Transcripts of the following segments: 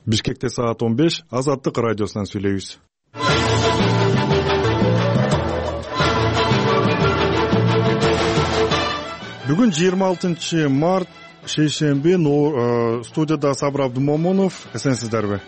Бишкекте саат 15, Азаттык радиосунан сүйлөйбүз. Бүгүн 26 март, шейшемби, студияда Сабыр Абдумомунов. Эсенсиздерби?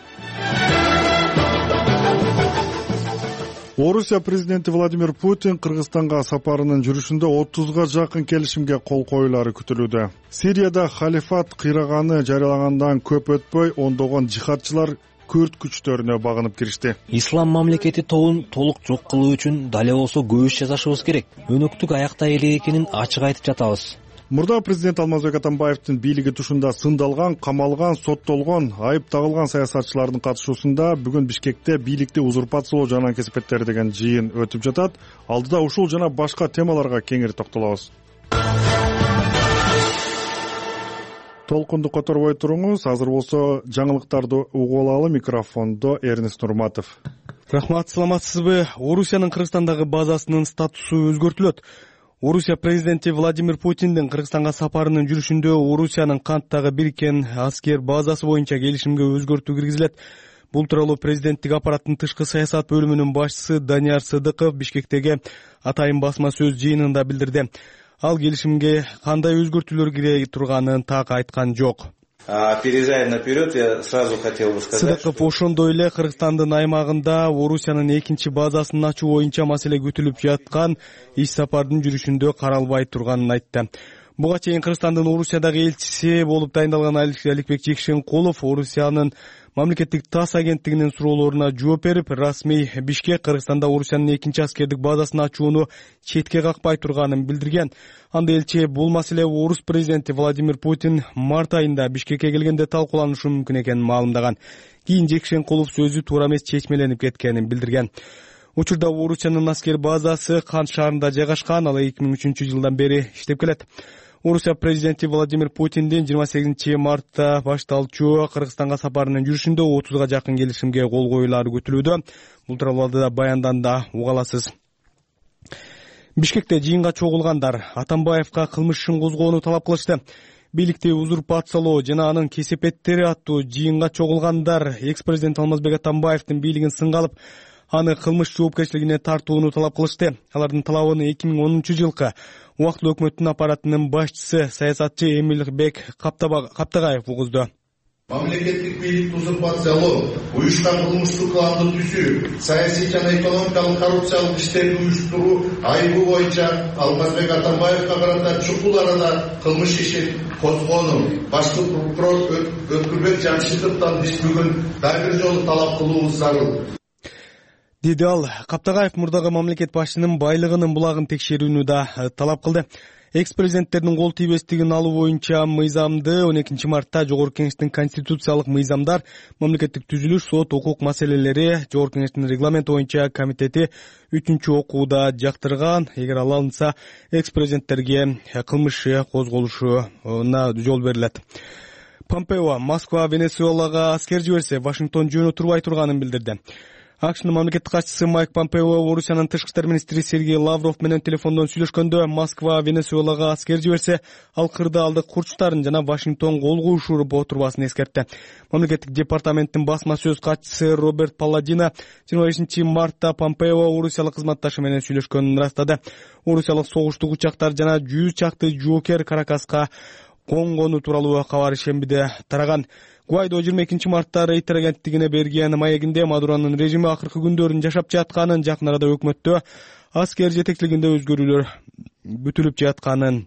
Орусия президенти Владимир Путин Кыргызстанга сапарынын жүрүшүндө 30га жакын келишимге кол коюлары күтүлүүдө. Сирияда халифат кыйраганы жарыялагандан көп өтпөй ондогон жихадчылар күрд күчтөрүнө багынып киришти. Ислам мамлекети тобун толук жок кылуу үчүн дале болсо көп иш жасашыбыз керек. Өнөктүк аякта элек экенин ачык айтып жатабыз. Мурда президент Алмазбек Атамбаевдин бийлиги тушунда сындалган, камалган, соттолгон, айып тагылган саясатчылардын катышуусунда бүгүн Бишкекте бийликти узурпациялоо жана кесипеттери деген жыйын өтүп жатат. Алдыда ушул жана башка темаларга кеңири токтолобуз. Толкунду которбой туруңуз. Азыр болсо жаңылыктарды угуп алалы. Микрофондо Эрнест Нурматов. Рахмат, саламатсызбы? Орусиянын Кыргызстандагы базасынын статусу өзгөртүлөт. Орусия президенти Владимир Путиндин Кыргызстанга сапарынын жүрүшүндө Орусиянын Канттагы бириккен аскер базасы боюнча келишимге өзгөртүү киргизилет. Бул тууралуу президенттик аппараттын тышкы саясат бөлүмүнүн башчысы Данияр Сыдыков Бишкектеги атайын басма сөз жыйынында билдирди. Ал келишимге кандай өзгөртүүлөр кире турганын так айткан жок. Опережая наперед, я сразу хотел бы сказать. Сыдыков ошондой эле Кыргызстандын аймагында Орусиянын экинчи базасын ачуу боюнча маселе күтүлүп жаткан иш сапардын жүрүшүндө каралбай турганын айтты. Буга чейин Кыргызстандын Орусиядагы элчиси болуп дайындалган Аликбек Жекшенкулов Орусиянын мамлекеттик ТАСС агенттигинин суроолоруна жооп берип, расмий Бишкек Кыргызстанда Орусиянын экинчи аскердик базасын ачууну четке какпай турганын билдирген. Анда элчи бул маселе орус президенти Владимир Путин март айында Бишкекке келгенде талкууланышы мүмкүн экенин маалымдаган. Кийин Жекшенкулов сөзү туура эмес чечмеленип кеткенин билдирген. Учурда Орусиянын аскер базасы Кант шаарында жайгашкан, ал 2003 жылдан бери иштеп келет. Орусия президенти Владимир Путиндин 28 мартта башталчу Кыргызстанга сапарынын жүрүшүндө 30га жакын келишимге кол коюлары күтүлүүдө. Бул тууралуу да баянданда уга аласыз. Бишкекте жыйынга чогулгандар Атамбаевка кылмыш ишин козгоону талап кылышты. Бийликти узурпациялоо жана анын кесепеттери аттуу жыйынга чогулгандар экс-президент Алмазбек Атамбаевдин бийлигин сынга алып, аны кылмыш жоопкерчилигине тартууну талап кылышты. Алардын талабын 2010 жылкы убактылуу өкмөттүн аппаратынын башчысы саясатчы Эмилбек Каптагаев угузду. Мамлекеттик бийликти узурпациялоо, уюшкан кылмыштык кылымды түзүү, саясий жана экономикалык коррупциялык иштерди уюштуруу айыбы боюнча Алмазбек Атамбаевга карата чукул арада кылмыш ишин козгоону башкы прокурор Өткүрбек Жамшитовдон биз бүгүн дагы бир жолу талап кылуубуз зарыл. Деди ал. Каптагаев мурдагы мамлекет башчынын байлыгынын булагын текшерүүнү да талап кылды. Экс-президенттердин кол тийбестигин алуу боюнча мыйзамды 12 мартта Жогорку Кеңештин конституциялык мыйзамдар, мамлекеттик түзүлүш, сот, укук маселелери Жогорку Кеңештин регламенти боюнча комитети 3-окууда жактырган. Эгер ал алынса, экс-президенттерге кылмыш козголушуна жол берилет. Помпео Москва Венесуэлага аскер жиберсе, Вашингтон жөнү турбай турганын билдирди. АКШнын мамлекеттик катчысы Майк Помпео Орусиянын тышкы иштер министри Сергей Лавров менен телефондон сүйлөшкөндө Москва Венесуэлага аскер жиберсе, ал кырдаалдык курчтарын жана Вашингтон кол куюшуп отурбасын эскертти. Мамлекеттик департаменттин басма сөз катчысы Роберт Палладино 25 мартта Помпео орусиялык кызматташы менен сүйлөшкөнүн ырастады. Орусиялык согуштук учактар жана 100 чакты жоокер Каракаска конгону тууралуу кабар шембиде тараган. Гуайдо 22 мартта Рейтер агенттигине берген маегинде Мадуронун режими акыркы күндөрүн жашап жатканын, жакын арада өкмөттө аскер жетекчилигинде өзгөрүүлөр бүтүлүп жатканын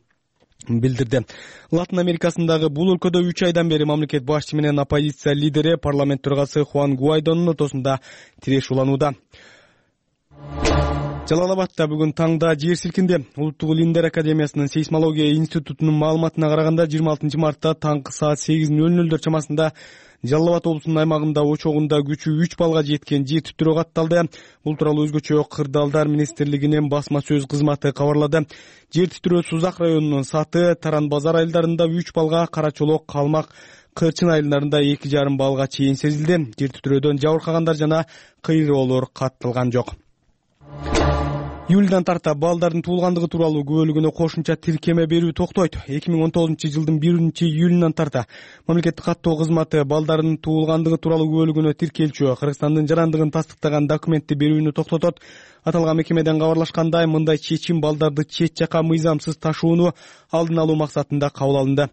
билдирди. Латын Америкасындагы бул өлкөдө 3 айдан бери мамлекет башчы менен оппозиция лидери парламент төрагасы Хуан Гуайдонун ортосунда тиреш уланууда. Жалал-Абадта бүгүн таңда жер силкинди. Улуттук Илимдер академиясынын сейсмология институтунун маалыматына караганда 26 мартта таңкы саат 8:00 чамасында Жалал-Абад облусунун аймагында очогунда күчү 3 балга жеткен жер титирөө катталды. Бул тууралуу өзгөчө Кырдаалдар министрлигинин басма сөз кызматы кабарлады. Жер титирөө Сузак районунун Саты, Таран базар айылдарында 3 балга, Карачолок, Калмак, Кырчын айылдарында 2,5 балга чейин сезилди. Жер титирөөдөн жабыркагандар жана кыйроолор катталган жок. Июлдан тарта балдардын туулгандыгы тууралуу күбөлүгүнө кошумча тиркеме берүү токтойт. 2019-жылдын 1-июлунан тарта мамлекеттик каттоо кызматы балдардын туулгандыгы тууралуу күбөлүгүнө тиркелчү Кыргызстандын жарандыгын тастыктаган документти берүүнү токтотот. Аталган мекемеден кабарлашкандай, мындай чечим балдарды чет жака мыйзамсыз ташууну алдын алуу максатында кабыл алынды.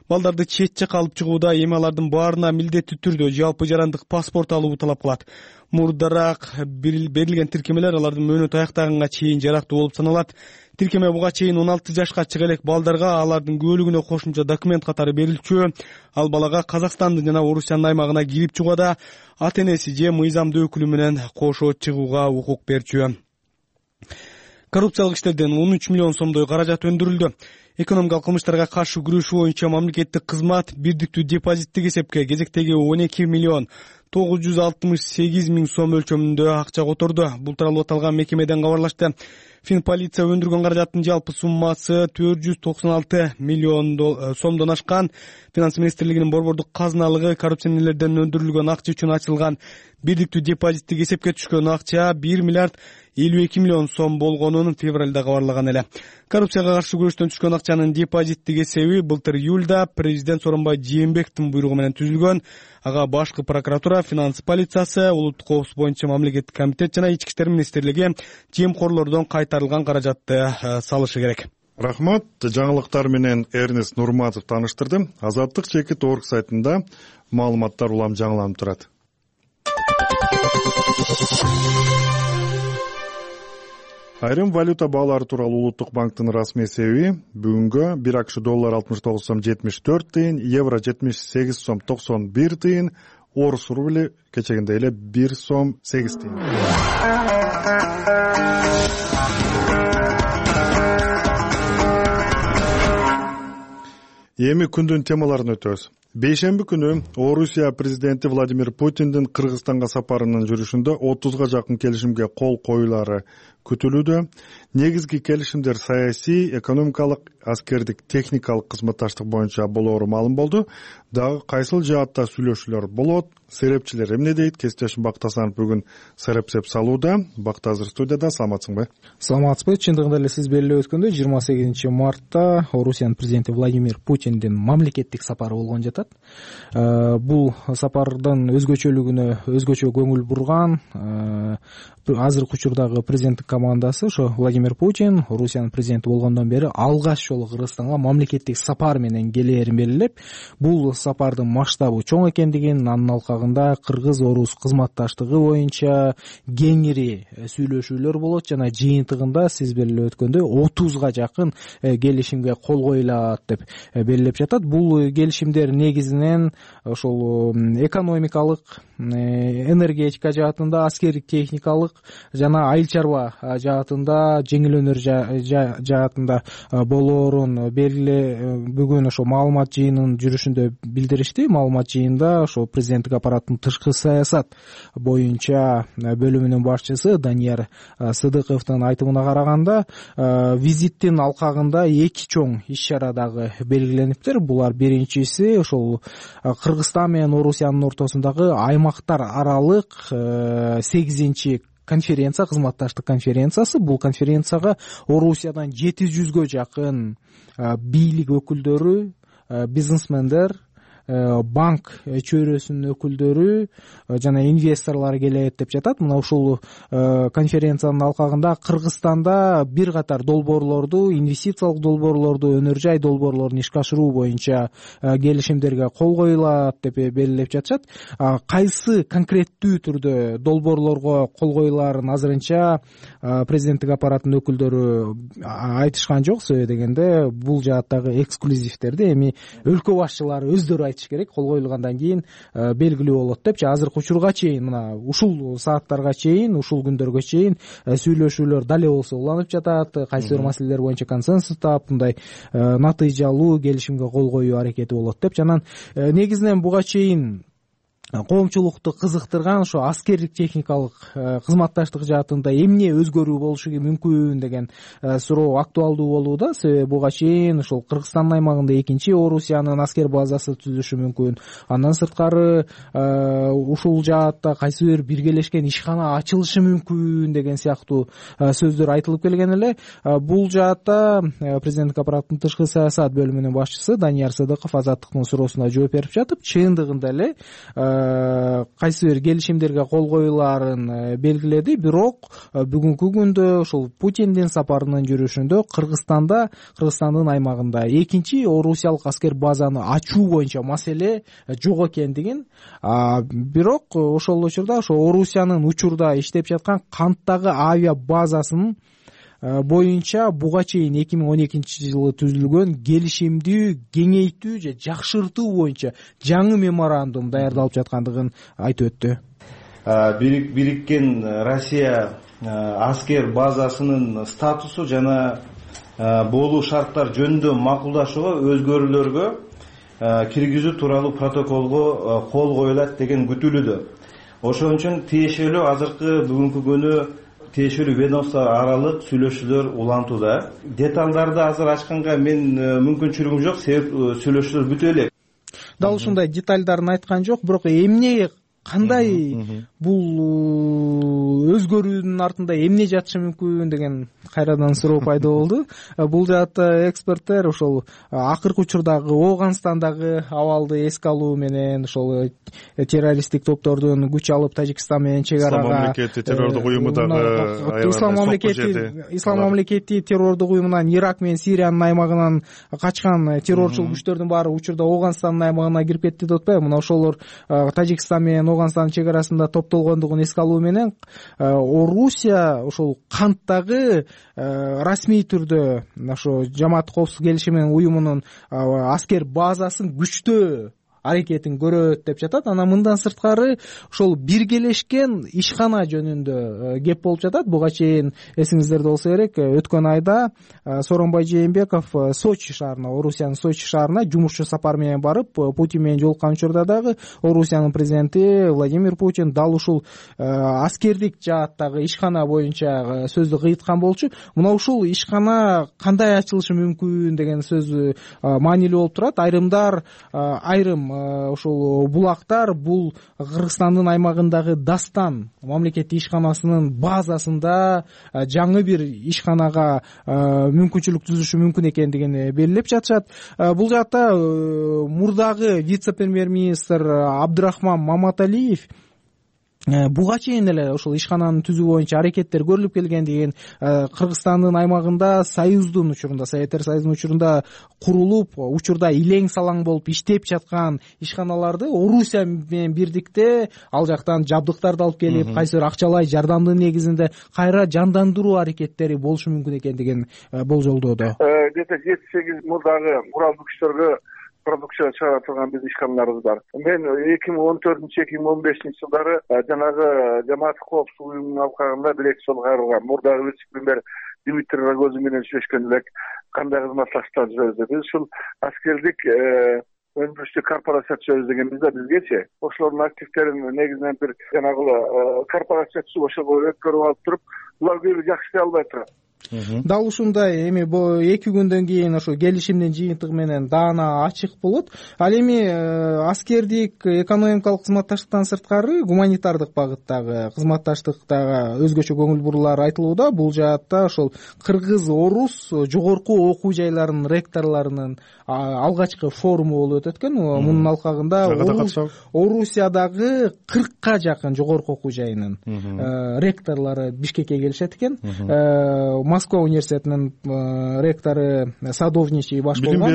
Балдарды чет жака алып чыгууда эми алардын баарына милдеттүү түрдө жалпы жарандык паспорт алуу талап кылат. Мурдараак берилген тиркемелер алардын мөөнөтү аяктаганга чейин жарактуу болуп саналат. Тиркеме буга чейин 16 жашка чыга элек балдарга алардын күбөлүгүнө кошумча документ катары берилчү. Ал балага Казакстандын жана Орусиянын аймагына кирип чыгууда ата энеси же мыйзамдуу өкүлү менен кошо чыгууга укук берчү. Коррупциялык иштерден 13 миллион сомдой каражат өндүрүлдү. Экономикалык кылмыштарга каршы күрөшүү боюнча мамлекеттик кызмат бирдиктүү депозиттик эсепке кезектеги 12 миллион 968 миң сом өлчөмүндө акча которду. Бул тууралуу аталган мекемеден кабарлашты. Финполиция өндүргөн каражаттын жалпы суммасы 496 миллион сомдон ашкан. Финанс министрлигинин борбордук казыналыгы коррупционерлерден өндүрүлгөн акча үчүн ачылган бирдиктүү депозиттик эсепке түшкөн акча 1 миллиард 52 миллион сом болгонун февралда кабарлаган эле. Коррупцияга каршы күрөштөн түшкөн акчанын депозиттик эсеби былтыр июлда президент Сооронбай Жээнбековдун буйругу менен түзүлгөн. Ага башкы прокуратура, финанс полициясы, улуттук коопсуздук боюнча мамлекеттик комитет жана ички иштер министрлиги жемкорлордон кайтарылган каражатты салышы керек. Рахмат. Жаңылыктар менен Эрнест Нурматов тааныштырды. Азаттык чекит орг сайтында маалыматтар улам жаңыланып турат. Айрым валюта баалары тууралуу Улуттук банктын расмий эсеби бүгүнгө 1 АКШ доллар 69 сом 74 тыйын, евро 78 сом 91 тыйын, орус рубли кечегиндей эле 1 сом 8 тыйын. Эми күндүн темаларын өтөбүз. Бейшемби күнү Орусия президенти Владимир Путиндин Кыргызстанга сапарынын жүрүшүндө 30га жакын келишимге кол коюлары күтүлүүдө. Негизги келишимдер саясий, экономикалык, аскердик, техникалык кызматташтык боюнча болоору маалым болду. Дагы кайсыл жаатта сүйлөшүүлөр болот? Серепчилер эмне дейт? Кесиптешим Бактасанов бүгүн серепсеп салууда. Бактазыр студияда. Саламатсыңбы? Саламатсызбы. Чындыгында эле сиз белгилеп өткөндөй 28 мартта Орусиянын президенти Владимир Путиндин мамлекеттик сапары болгон жатат. Бул сапардын өзгөчөлүгүнө өзгөчө көңүл бурган азыркы учурдагы президенттик командасы ошо Владимир Путин Орусиянын президенти болгондон бери алгач жолу Кыргызстанга мамлекеттик сапар менен келээрин белгилеп, бул сапардын масштабы чоң экендигин, анын алкагында кыргыз-орус кызматташтыгы боюнча кеңири сүйлөшүүлөр болот жана жыйынтыгында сиз белгилеп өткөндөй 30га жакын келишимге кол коюлат деп белгилеп жатат. Бул келишимдер негизинен ошол экономикалык, энергетика жаатында, аскердик, техникалык жана айыл чарба жаатында, жеңил өнөр жаатында болоорун бүгүн ошо маалымат жыйынынын жүрүшүндө билдиришти. Маалымат жыйында ошо президенттик аппараттын тышкы саясат боюнча бөлүмүнүн башчысы Данияр Сыдыковдун айтымына караганда, визиттин алкагында эки чоң иш-чара дагы белгилениптир. Булар биринчиси ошол Кыргызстан менен Орусиянын ортосундагы аймактар аралык 8-чи конференция, кызматташтык конференциясы. Бул конференцияга Орусиядан 700гө жакын бийлик өкүлдөрү, бизнесмендер, банк чөйрөсүнүн өкүлдөрү жана инвесторлор келет деп жатат. Мына ушул конференциянын алкагында Кыргызстанда бир катар долбоорлорду, инвестициялык долбоорлорду, өнөр жай долбоорлорун ишке ашыруу боюнча келишимдерге кол коюлат деп белгилеп жатышат. Кайсы конкреттүү түрдө долбоорлорго кол коюлаарын азырынча президенттик аппараттын өкүлдөрү айтышкан жок. Себеби дегенде бул жааттагы эксклюзивтерди эми өлкө башчылары өздөрү айтыш керек. Кол коюлгандан кийин белгилүү болот депчи. Азыркы учурга чейин, мына ушул сааттарга чейин, ушул күндөргө чейин сүйлөшүүлөр дале болсо уланып жатат. Кайсы бир маселелер боюнча консенсус таап, мындай натыйжалуу келишимге кол коюу аракети болот деп. Жана негизинен буга чейин коомчулукту кызыктырган ошо аскердик техникалык кызматташтык жаатында эмне өзгөрүү болушу мүмкүн деген суроо актуалдуу болууда. Себеби буга чейин ошол Кыргызстандын аймагында экинчи Орусиянын аскер базасы түзүлүшү мүмкүн. Андан сырткары ушул жаатта кайсы бир биргелешкен ишкана ачылышы мүмкүн деген сыяктуу сөздөр айтылып келген эле. Бул жаатта президенттик аппараттын тышкы саясат бөлүмүнүн башчысы Данияр Сыдыков Азаттыктын суроосуна жооп берип жатып, чындыгында эле кайсы бир келишимдерге кол коюлаарын белгиледи. Бирок бүгүнкү күндө ошол Путиндин сапарынын жүрүшүндө Кыргызстандын аймагында экинчи Орусиялык аскер базаны ачуу боюнча маселе жок экендигин, бирок ошол учурда ошо Орусиянын учурда иштеп жаткан Канттагы авиа базасынын боюнча буга чейин 2012-жылы түзүлгөн келишимди кеңейтүү же жакшыртуу боюнча жаңы меморандум даярдалып жаткандыгын айтып өттү. Бириккен Россия аскер базасынын статусу жана болуу шарттар жөнүндө макулдашууга өзгөрүүлөргө киргизүү тууралуу протоколго кол коюлат деген күтүлүүдө. Ошон үчүн тиешелүү азыркы бүгүнкү күнү тиешелүү ведомство аралык сүйлөшүүлөр улантууда. Деталдарды азыр ачканга мен мүмкүнчүлүгүм жок, себеп сүйлөшүүлөр бүтө элек. Дал ушундай деталдарын айткан жок, бирок эмне кандай бул өзгөрүүнүн артында эмне жатышы мүмкүн деген кайрадан суроо пайда болду. Бул жаатта эксперттер ошол акыркы учурдагы Ооганстандагы абалды эске алуу менен ошол террористтик топтордун күч алып Тажикстан менен чек арага Ислам мамлекети террордук уюмундагы Ислам мамлекети террордук уюмунан Ирак менен Сириянын аймагынан качкан террорчул күчтөрдүн баары учурда Ооганстандын аймагына кирип кетти деп атпайбы? Мына ошолор Тажикстан менен Ооганстандын чек арасында топтолгондугун эске алуу менен Орусия ошол Канттагы расмий түрдө ошо Жамаат коопсуздук келишими уюмунун аскер базасын күчтөө аракетин көрөт деп жатат. Анан мындан сырткары ошол биргелешкен ишкана жөнүндө кеп болуп жатат. Буга чейин эсиңиздерде болсо керек, өткөн айда Сооронбай Жээнбеков Сочи шаарына, Орусиянын Сочи шаарына жумушчу сапар менен барып, Путин менен жолуккан учурда дагы Орусиянын президенти Владимир Путин дал ушул аскердик жааттагы ишкана боюнча сөздү кыйыткан болчу. Мына ушул ишкана кандай ачылышы мүмкүн деген сөз маанилүү болуп турат. Айрым ошол булактар бул Кыргызстандын аймагындагы Дастан мамлекеттик ишканасынын базасында жаңы бир ишканага мүмкүнчүлүк түзүшү мүмкүн экендигин белгилеп жатышат. Бул жакта мурдагы вице-премьер-министр Абдырахман Маматалиев буга чейин эле ошол ишкананы түзүү боюнча аракеттер көрүлүп келгендигин, Кыргызстандын аймагында Союздун учурунда, Советтер Союзунун учурунда курулуп, учурда илең салаң болуп иштеп жаткан ишканаларды Орусия менен бирдикте ал жактан жабдыктарды алып келип, кайсы бир акчалай жардамдын негизинде кайра жандандыруу аракеттери болушу мүмкүн экендигин болжолдоодо. Где-то 7-8 мурдагы куралдуу күчтөргө продукция чыгара турган биздин ишканаларыбыз бар. Мен 2014-2015 жылдары жанагы Жамаат коопсуздук уюмунун алкагында бир-эки жолу кайрылгам. Мурдагы вице-премьер Дмитрий Рогозин менен сүйлөшкөн элек, кандай кызматташтык жүрөбүз. Биз ушул аскердик өндүрүштүк корпорация түзөбүз дегенбиз да бизгечи. Ошолордун активдерин негизинен бир жанагы корпорация түзүп ошого өткөрүп алып туруп, булар көбү жакшы иштей албай турат. Дал ушундай эми 2 күндөн кийин ошо келишимдин жыйынтыгы менен даана ачык болот. Ал эми аскердик экономикалык кызматташтыктан сырткары гуманитардык багыттагы кызматташтыктагы өзгөчө көңүл бурулар айтылууда. Бул жаатта ошол кыргыз-орус жогорку окуу жайларынын ректорлорунун алгачкы форуму болуп өтөт экен. Мунун алкагында Орусиядагы 40ка жакын жогорку окуу жайынын ректорлору Бишкекке келишет экен. Москва университетинин ректору Садовничий баш болгон.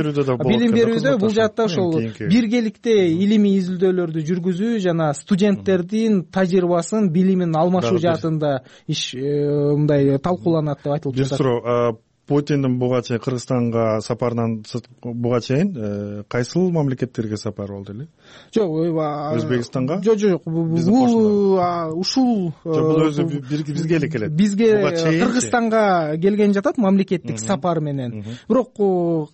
Билим берүүдө бул жаатта ошол биргеликте илимий изилдөөлөрдү жүргүзүү жана студенттердин тажрыйбасын, билимин алмашуу жаатында мындай талкууланат деп айтылып жатат. Бир суроо, Путиндин буга чейин Кыргызстанга сапарынан буга чейин кайсыл мамлекеттерге сапар болду эле? Жок, Өзбекстанга? Жок, бул ушул бул өзү бизге эле келет. Бизге Кыргызстанга келген жатат мамлекеттик сапар менен. Бирок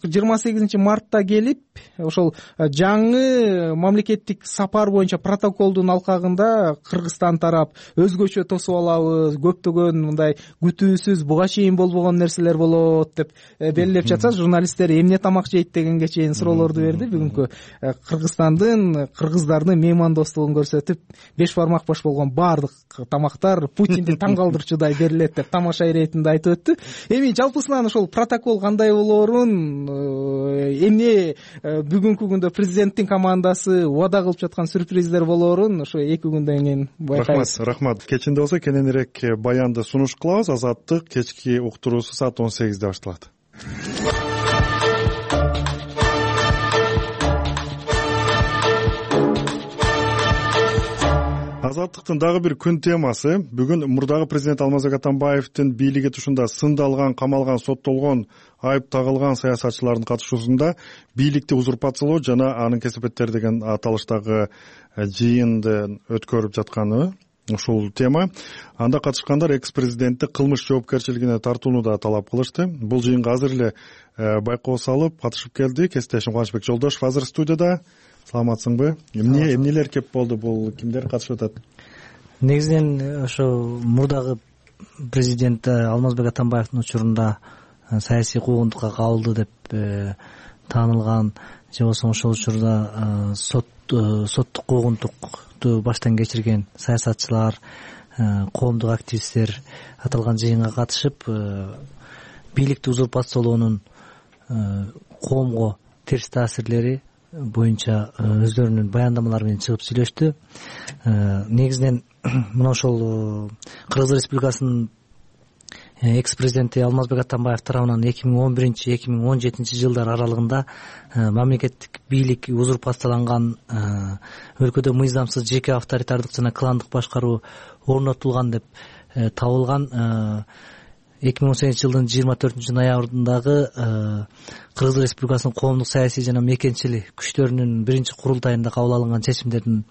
28 мартта келип, ошол жаңы мамлекеттик сапар боюнча протоколдун алкагында Кыргызстан тарап өзгөчө тосуп алабыз, көптөгөн мындай күтүүсүз буга чейин болбогон нерселер болот деп белгилеп жатса, журналисттер эмне тамак жейт дегенге чейин суроолорду берди. Бүгүнкү Кыргызстандын, кыргыздардын меймандостугун көрсөтүп, 5 бармак бош болгон баардык тамактар Путинди таң калтырчудай берилет деп тамаша иретинде айтып өттү. Эми жалпысынан ошол протокол кандай болоорун, эмне бүгүнкү күндө президенттин командасы убада кылып жаткан сюрприздер болоорун ошо 2 күндөн кийин байкайбыз. Рахмат. Кечинде болсо кененирээк баянды сунуш кылабыз. Азаттык кечки уктуруусу саат 18-де башталат. Азаттыктын дагы бир күн темасы бүгүн мурдагы президент Алмазбек Атамбаевдин бийлиги тушунда сындалган, камалган, соттолгон, айып тагылган саясатчылардын катышуусунда бийликти узурпациялоо жана анын кесепеттери деген аталыштагы жыйынды өткөрүп жатканы ушул тема. Анда катышкандар экс-президентти кылмыш жоопкерчилигине тартууну да талап кылышты. Бул жыйынга азыр эле байкоо салып катышып келди. Кесиптешим Кубанычбек Жолдошов азыр студияда. Саламатсыңбы? Эмнелер кеп болду? Бул кимдер катышып атат? Негизинен ошо мурдагы президент Алмазбек Атамбаевдин учурунда саясий куугунтукка кабылды деп таанылган, же болбосо ошол учурда соттук куугунтукту баштан кечирген саясатчылар, коомдук активисттер аталган жыйынга катышып, бийликти узурпациялоонун коомго терс таасирлери боюнча өздөрүнүн баяндамалары менен чыгып сүйлөштү. Негизинен мына ошол Кыргыз Республикасынын экс-президенти Алмазбек Атамбаев тарабынан 2011-2017 жылдар аралыгында мамлекеттик бийлик узурпацияланган, өлкөдө мыйзамсыз жеке авторитардык жана кландык башкаруу орнотулган деп табылган. 2018 жылдын 24 ноябрындагы Кыргыз Республикасынын коомдук саясий жана мекенчил күчтөрүнүн биринчи курултайында кабыл алынган чечимдердин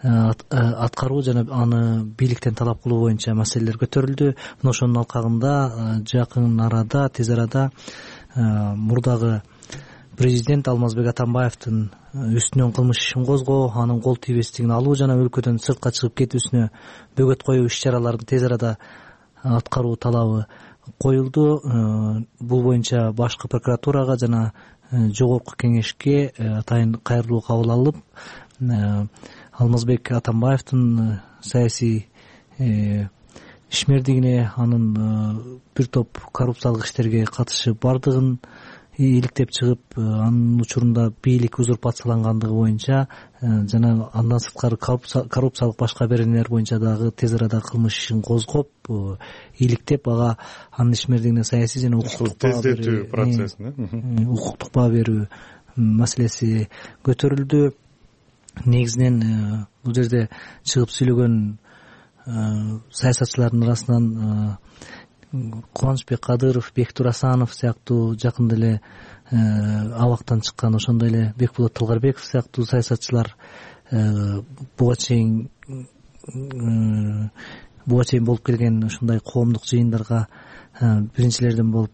аткаруу жана аны бийликтен талап кылуу боюнча маселелер көтөрүлдү. Мына ошонун алкагында жакын арада, тез арада мурдагы президент Алмазбек Атамбаевдин үстүнөн кылмыш ишин козгоо, анын кол тийбестигин алуу жана өлкөдөн сыртка чыгып кетүүсүнө бөгөт коюу иш-чараларын тез арада аткаруу талабы коюлду. Бул боюнча башкы прокуратурага жана жогорку кеңешке атайын кайрылуу кабыл алып, Алмазбек Атамбаевдин саясий ишмердигине, анын бир топ коррупциялык иштерге катышы бардыгын иликтеп чыгып, анын учурунда бийлик узурпациялангандыгы боюнча жана андан сырткары коррупциялык башка беренелер боюнча дагы тез арада кылмыш ишин козгоп, иликтеп, ага анын ишмердигине саясий жана тездетүү процессин, укуктук баа берүү маселеси көтөрүлдү. Негизинен бул жерде чыгып сүйлөгөн саясатчылардын арасынан Кубанычбек Кадыров, Бектур Асанов сыяктуу жакында эле абактан чыккан, ошондой эле Бекболот Талгарбеков сыяктуу саясатчылар буга чейин болуп келген ушундай коомдук жыйындарга биринчилерден болуп,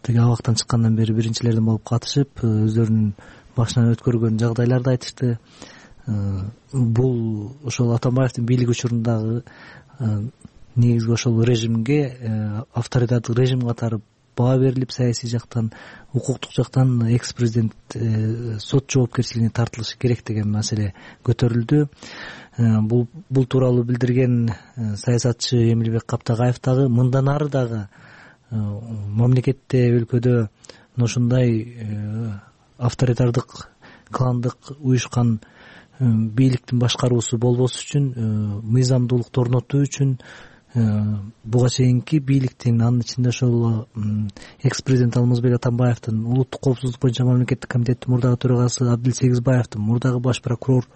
тиги абактан чыккандан бери биринчилерден болуп катышып, өздөрүнүн башынан өткөргөн жагдайларды айтышты. Бул ошол Атамбаевдин бийлиги учурундагы негизги ошол режимге, авторитардык режим катары баа берилип, саясий жактан, укуктук жактан экс-президент сот жоопкерчилигине тартылышы керек деген маселе көтөрүлдү. Бул тууралуу билдирген саясатчы Эмилбек Каптагаев дагы мындан ары дагы мамлекетте, өлкөдө ушундай авторитардык, кландык уюшкан бийликтин башкаруусу болбош үчүн, мыйзамдуулукту орнотуу үчүн буга чейинки бийликтин, анын ичинде ошол экс-президент Алмазбек Атамбаевдин, улуттук коопсуздук боюнча мамлекеттик комитеттин мурдагы төрагасы Абдил Сегизбаевдин, мурдагы баш прокурор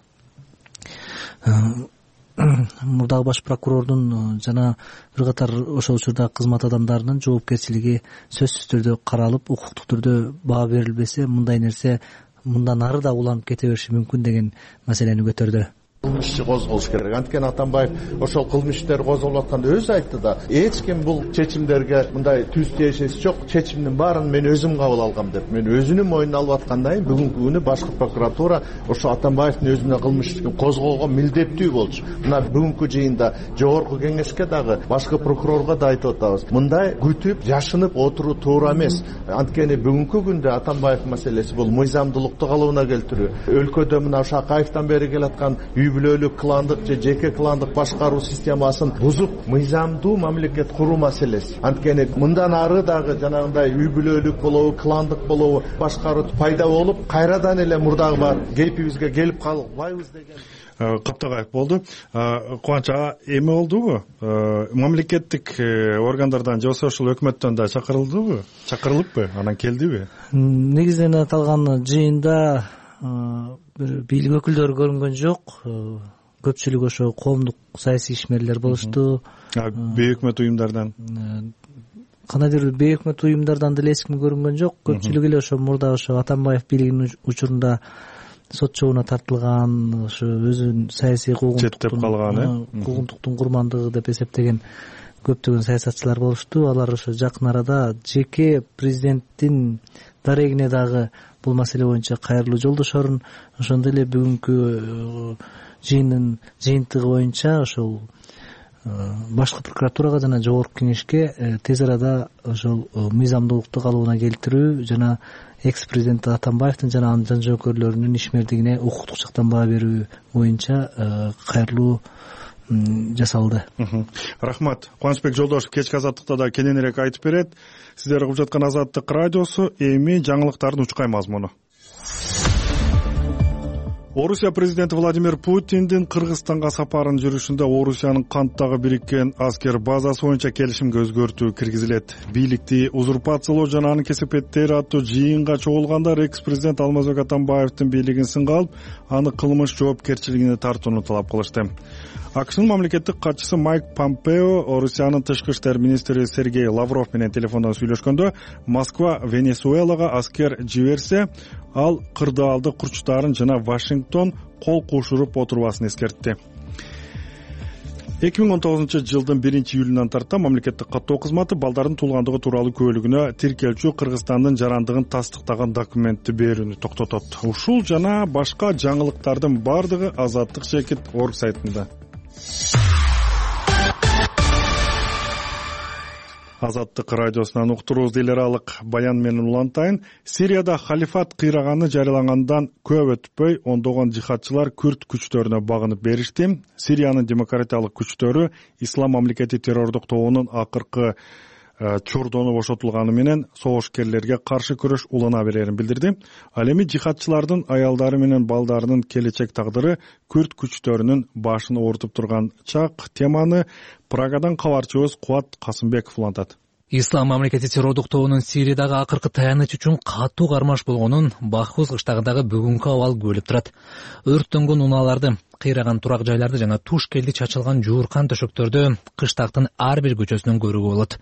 мурдагы баш прокурордун жана бир катар ошол учурдагы кызмат адамдарынын жоопкерчилиги сөзсүз түрдө каралып, укуктук түрдө баа берилбесе мындай нерсе мындан ары да уланып кете бериши мүмкүн деген маселени көтөрдү. Кылмыш иши козголуш керек. Анткени Атамбаев ошол кылмыш иштер козголуп атканда өзү айтты да, эч ким бул чечимдерге мындай түз тиешеси жок, чечимдин баарын мен өзүм кабыл алгам деп. Мен өзүнүн мойнуна алып аткандан кийин бүгүнкү күнү башкы прокуратура ошо Атамбаевдин өзүнө кылмыш ишин козгоого милдеттүү болчу. Мына бүгүнкү жыйында жогорку кеңешке дагы башкы прокурорго да айтып атабыз. Мындай күтүп, жашынып отуруу туура эмес. Анткени бүгүнкү күндө Атамбаев маселеси бул мыйзамдуулукту калыбына келтирүү. Өлкөдө мына ошо Акаевден бери келаткан бүлөлүк кландык же жеке кландык башкаруу системасын бузуп, мыйзамдуу мамлекет куруу маселеси. Анткени мындан ары дагы жанагындай үй бүлөлүк болобу, кландык болобу башкаруу пайда болуп, кайрадан эле мурдагы бар кейпибизге келип калбайбыз деген. Каптагаев болду. Кубанч ага эме болдубу? Мамлекеттик органдардан же ошол өкмөттөн да чакырылыппы? Анан келдиби? Негизинен аталган жыйында бир бийлик өкүлдөрү көрүнгөн жок. Көпчүлүгү ошо коомдук саясий ишмерлер болушту. Бейөкмөт уюмдардан кандайдыр бир бейөкмөт уюмдардан деле эч ким көрүнгөн жок. Көпчүлүгү эле ошо мурда ошо Атамбаев бийлигинин учурунда сот жообуна тартылган, ошо өзүнүн саясий куугунтуктун курмандыгы деп эсептеген көптөгөн саясатчылар болушту. Алар ошо жакын арада жеке президенттин дарегине дагы бул маселе боюнча кайрылуу жолдошорун, ошондой эле бүгүнкү жыйындын жыйынтыгы боюнча ошол башкы прокуратурага жана жогорку кеңешке тез арада ошол мыйзамдуулукту калыбына келтирүү жана экс президент Атамбаевдин жана анын жан жоокерлөрүнүн ишмердигине укуктук жактан баа берүү боюнча кайрылуу жасалды. Рахмат. Кубанычбек Жолдошев кечки азаттыкта да кененирээк айтып берет. Сиздер угуп жаткан Азаттык радиосу, эми жаңылыктардын учкай мазмуну. Орусия президенти Владимир Путиндин Кыргызстанга сапарын жүрүшүндө Орусиянын Канттагы бириккен аскер базасы боюнча келишимге өзгөртүү киргизилет. Бийликти узурпациялоо жана анын кесепеттери аттуу жыйынга чогулгандар экс-президент Алмазбек Атамбаевдин бийлигин сынга алып, аны кылмыш жоопкерчилигине тартууну талап кылышты. АКШнын мамлекеттик катчысы Майк Помпео Орусиянын тышкы иштер министри Сергей Лавров менен телефондон сүйлөшкөндө Москва Венесуэлага аскер жиберсе, ал кырдаалдык курчтарын жана Вашингтон кол кушуруп отурбасын эскертти. 2019-жылдын 1-июлунан тарта мамлекеттик каттоо кызматы балдардын туулгандыгы тууралуу күбөлүгүнө тиркелчү Кыргызстандын жарандыгын тастыктаган документти берүүнү токтотот. Ушул жана башка жаңылыктардын бардыгы Азаттык.org сайтында. Азаттык радиосунан уктуруубузду эл аралык баян менен улантайын. Сирияда халифат кыйраганы жарыялангандан көп өтпөй ондогон жихадчылар күрд күчтөрүнө багынып беришти. Сириянын демократиялык күчтөрү Ислам мамлекети террордук тобунун акыркы чордону бошотулганы менен согушкерлерге каршы күрөш улана берерин билдирди. Ал эми жихадчылардын аялдары менен балдарынын келечек тагдыры күрд күчтөрүнүн башын оорутуп турган чак теманы Прагадан кабарчыбыз Кубат Касымбеков улантат. Ислам мамлекети террордук тобунун Сириядагы акыркы таяныч үчүн катуу кармаш болгонун Бахус кыштагындагы бүгүнкү абал күбөлүп турат. Өрттөнгөн унааларды, кыйраган турак жайларды жана туш келди чачылган жууркан төшөктөрдү кыштактын ар бир көчөсүнөн көрүүгө болот.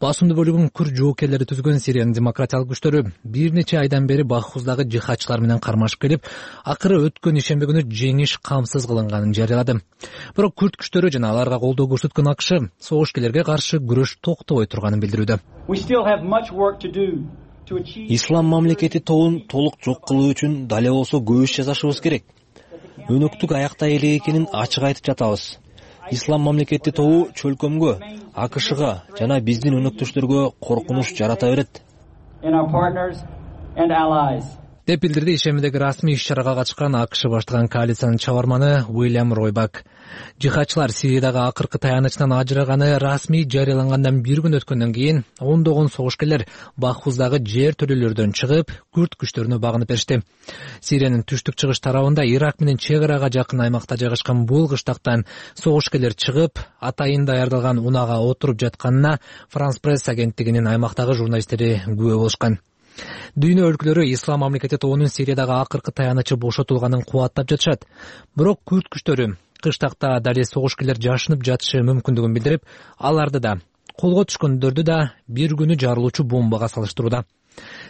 Басымдуу бөлүгүн күрд жоокерлери түзгөн Сириянын демократиялык күчтөрү бир нече айдан бери Бахуздагы жихадчылар менен кармашып келип, акыры өткөн ишемби күнү жеңиш камсыз кылынганын жарыялады. Бирок күрд күчтөрү жана аларга колдоо көрсөткөн АКШ согушкерлерге каршы күрөш токтобой турганын билдирүүдө. Ислам мамлекети тобун толук жок кылуу үчүн дале болсо көп иш жасашыбыз керек. Өнөктүк аякта эле экенин ачык айтып жатабыз. Ислам мамлекети тобу чөлкөмгө, АКШга жана биздин өнөктөштөргө коркунуч жарата берет деп билдирди ишемидеги расмий иш-чарага катышкан АКШ баштаган коалициянын чабарманы Уильям Ройбак. Жихадчылар Сириядагы акыркы таянычтан ажыраганы расмий жарыялангандан бир күн өткөндөн кийин ондогон согушкерлер Бахуздагы жер төлөлөрдөн чыгып, күрд күчтөрүнө багынып беришти. Сириянын түштүк-чыгыш тарабында Ирак менен чек арага жакын аймакта жайгашкан бул кыштактан согушкерлер чыгып, атайын даярдалган унаага отуруп жатканына Франс пресс агенттигинин аймактагы журналисттери күбө болушкан. Дүйнө өлкөлөрү Ислам мамлекети тобунун Сириядагы акыркы таянычы бошотулганын кубаттап жатышат. Бирок күрд күчтөрү кыштакта дале согушкерлер жашынып жатышы мүмкүндүгүн билдирип, аларды да, колго түшкөндөрдү да бир күнү жарылуучу бомбага салыштырууда.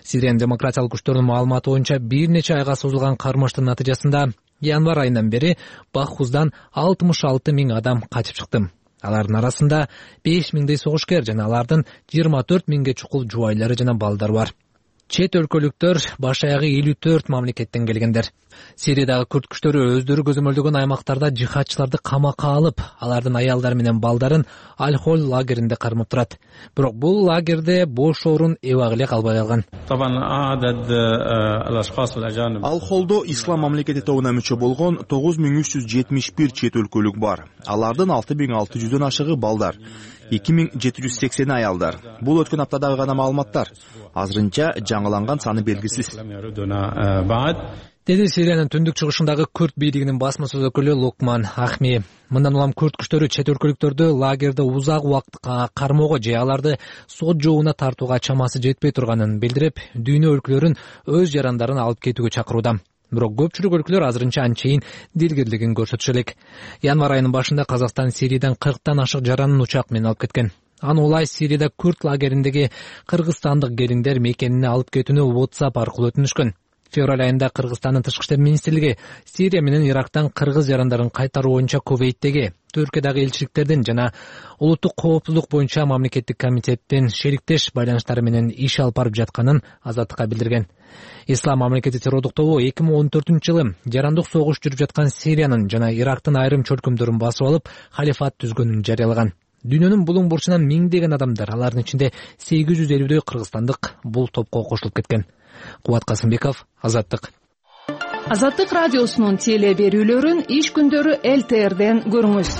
Сириянын демократиялык күчтөрүнүн маалыматы боюнча бир нече айга созулган кармаштын натыйжасында январь айынан бери Бахуздан 66 000 адам качып чыкты. Алардын арасында 5 000 согушкер жана алардын 24 000 чукул жубайлары жана балдары бар. Чет өлкөлүктөр баш аягы 54 мамлекеттен келгендер. Сириядагы күрд күчтөрү өздөрү көзөмөлдөгөн аймактарда жихадчыларды камакка алып, алардын аялдары менен балдарын Аль-Холь лагеринде кармап турат. Бирок бул лагерде бош орун эбак эле калбай калган. Аль-Холдо ислам мамлекети тобуна мүчө болгон 9371 чет өлкөлүк бар. Алардын 6600дөн ашыгы балдар, 2780 аялдар. Бул өткөн аптадагы гана маалыматтар. Азырынча жаңыланган саны белгисиз. Деди Сириянын түндүк чыгышындагы күрд бийлигинин басма сөз өкүлү Лукман Ахми. Мындан улам күрд күчтөрү чет өлкөлүктөрдү лагерде узак убакыт кармоого же аларды сот жообуна тартууга чамасы жетпей турганын билдирип, дүйнө өлкөлөрүн өз жарандарын алып кетүүгө чакырууда. Бирок көпчүлүк өлкөлөр азырынча анчейин дилгирлигин көрсөтүшө элек. Январь айынын башында Казакстан Сириядан 40тан ашык жаранын учак менен алып кеткен. Аны улай Сирияда күрд лагериндеги кыргызстандык келиндер мекенине алып кетүүнү WhatsApp аркылуу өтүнүшкөн. Февраль айында Кыргызстандын тышкы иштер министрлиги Сирия менен Ирактан кыргыз жарандарын кайтаруу боюнча Кувейттеги, Түркиядагы элчиликтердин жана улуттук коопсуздук боюнча мамлекеттик комитеттин шериктеш байланыштары менен иш алып барып жатканын Азаттыкка билдирген. Ислам мамлекети террордук тобу 2014-жылы жарандык согуш жүрүп жаткан Сириянын жана Ирактын айрым чөлкөмдөрүн басып алып, халифат түзгөнүн жарыялаган. Дүйнөнүн булуң бурчунан миңдеген адамдар, алардын ичинде 850дөй кыргызстандык бул топко кошулуп кеткен. Кубат Касымбеков, Азаттык. Азаттык радиосунун теле берүүлөрүн иш күндөрү ЛТРден көрүңүз.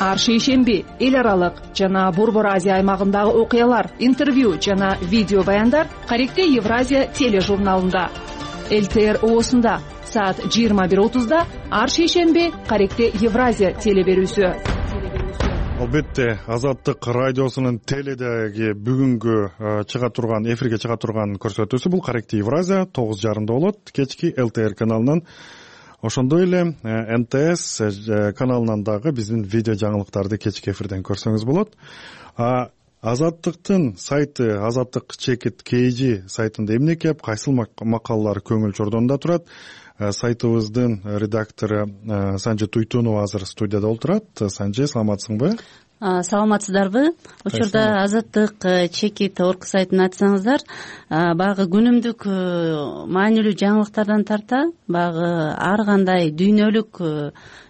Ар шейшемби эл аралык жана Борбор Азия аймагындагы окуялар, интервью жана видео баяндар Каректе Евразия тележурналында. ЛТР ООсунда саат 21:30 ар шейшемби Каректе Евразия теле берүүсү. Албетте, Азаттык радиосунун теледеги бүгүнкү чыга турган, эфирге чыга турган көрсөтүүсү бул Каректе Евразия 9:30 болот, кечки ЛТР каналынан. Ошондой эле НТС каналынан дагы биздин видео жаңылыктарды кечки эфирден көрсөңүз болот. Азаттыктын сайты Азаттык Чекит KG сайтында эмне кеп, кайсыл макалалар көңүл чордонунда турат. Сайтыбыздын редактору Санжи Туйтунова азыр студияда отурат. Санжи, саламатсыңбы? Саламатсыздарбы? Учурда Азаттык Чекит орг сайтын ачсаңыздар, баягы күнүмдүк маанилүү жаңылыктардан тарта, баягы ар кандай дүйнөлүк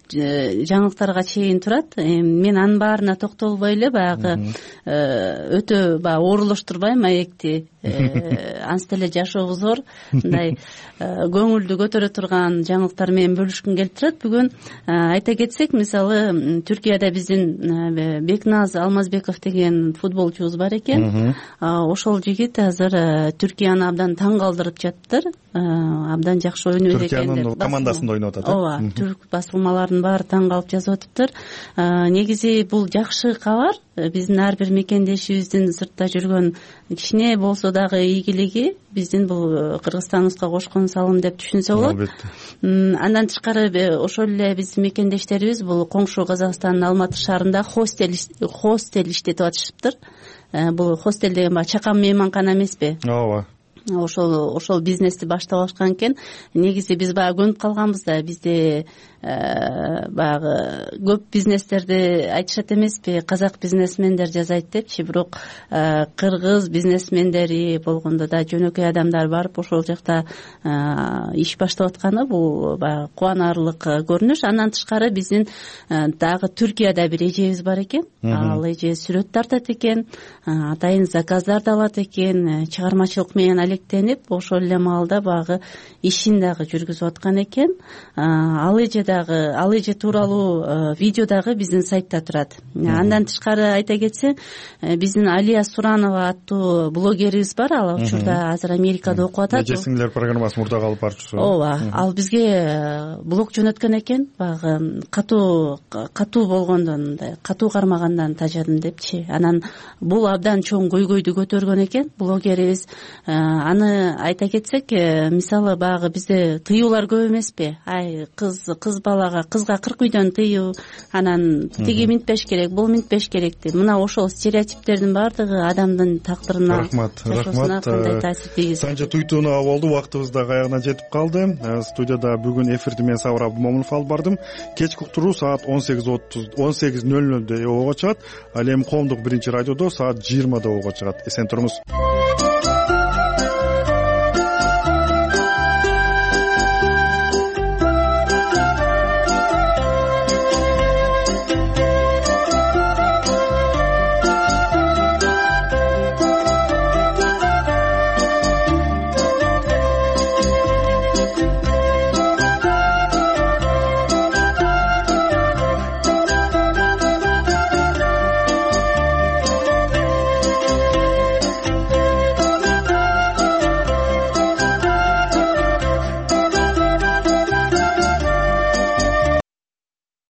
жаңылыктарга чейин турат. Мен анын баарына токтолбой эле баягы өтө баягы оорулуштурбайм маекти. Ансы деле жашообуз зор, мындай көңүлдү көтөрө турган жаңылыктар менен бөлүшкүм келип турат. Бүгүн айта кетсек, мисалы Түркияда биздин Бекназ Алмазбеков деген футболчубуз бар экен. Ошол жигит азыр Түркияны абдан таң калтырып жатыптыр. Абдан жакшы ойнойт экен деп. Түркиянын командасында ойноп атат. Ооба, түрк басылмаларынын баары таң калып жазып атыптыр. Негизи бул жакшы кабар. Биздин ар бир мекендешибиздин сыртта жүргөн кичине болсо дагы ийгилиги биздин бул Кыргызстаныбызга кошкон салым деп түшүнсө болот. Андан тышкары ошол эле биздин мекендештерибиз бул коңшу Казакстандын Алматы шаарында хостел иштетип атышыптыр. Бул хостел деген баягы чакан мейманкана эмеспи? Ооба. Ошол бизнести баштап алышкан экен. Негизи биз баягы көнүп калганбыз да, бизде баягы көп бизнестерди айтышат эмеспи, казак бизнесмендер жасайт депчи, бирок кыргыз бизнесмендери болгондо да жөнөкөй адамдар барып ошол жакта иш баштап атканы бул баягы кубанарлык көрүнүш. Андан тышкары биздин дагы Түркияда бир эжебиз бар экен. Ал эже сүрөт тартат экен, атайын заказдарды алат экен, чыгармачылык менен алектенип, ошол эле маалда баягы ишин дагы жүргүзүп аткан экен. Ал эже тууралуу видео дагы биздин сайтта турат. Андан тышкары айта кетсең, биздин Алия Суранова аттуу блогерибиз бар, ал учурда азыр Америкада окуп атат. Эжесиңдер программасынын мурдагы алып барчусу. Ооба, ал бизге блог жөнөткөн экен, баягы катуу болгондон, мындай катуу кармагандан тажадым депчи. Анан бул абдан чоң көйгөйдү көтөргөн экен блогерибиз. Аны айта кетсек, мисалы баягы бизде тыюулар көп эмеспи? Ай, кыз кыз балага, кызга 40 үйдөн тыюу, анан тиги минтпеш керек, бул минтпеш керек деп, мына ошол стереотиптердин баардыгы адамдын тагдырына, рахмат кандай таасир тийгизет. Санжа туйтууна болду, убактыбыз дагы аягына жетип калды. Студияда бүгүн эфирди мен Сабыр Абдымомунов алып бардым. Кечки уктуруу саат 18:00 ООго чыгат, ал эми коомдук биринчи радиодо саат 20 ООго чыгат. Эсен туруңуз.